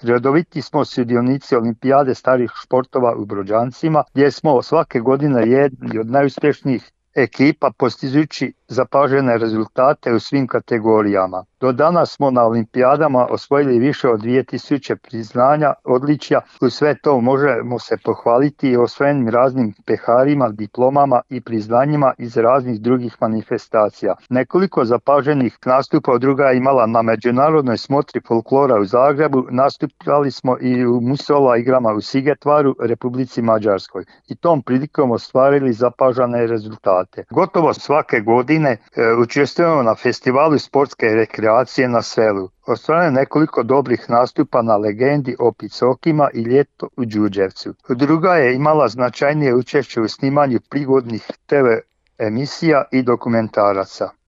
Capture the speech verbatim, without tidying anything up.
Redoviti smo sudionici olimpijade starih športova u Brođancima, gdje smo svake godine jedni od najuspješnijih ekipa postižući zapažene rezultate u svim kategorijama. Do danas smo na olimpijadama osvojili više od dvije tisuće priznanja, odličja. U sve to možemo se pohvaliti i osvojenim raznim peharima, diplomama i priznanjima iz raznih drugih manifestacija. Nekoliko zapaženih nastupa druga je imala na međunarodnoj smotri folklora u Zagrebu. Nastupali smo i u Musola igrama u Sigetvaru, Republici Mađarskoj, i tom prilikom ostvarili zapažene rezultate. Gotovo svake godine e, učestvujemo na festivalu sportske rekreacije na selu. Ostvareno nekoliko dobrih nastupa na Legendi, Opicokima i Ljeto u Đurđevcu. Druga je imala značajnije učešće u snimanju prigodnih te ve emisija i dokumentaraca.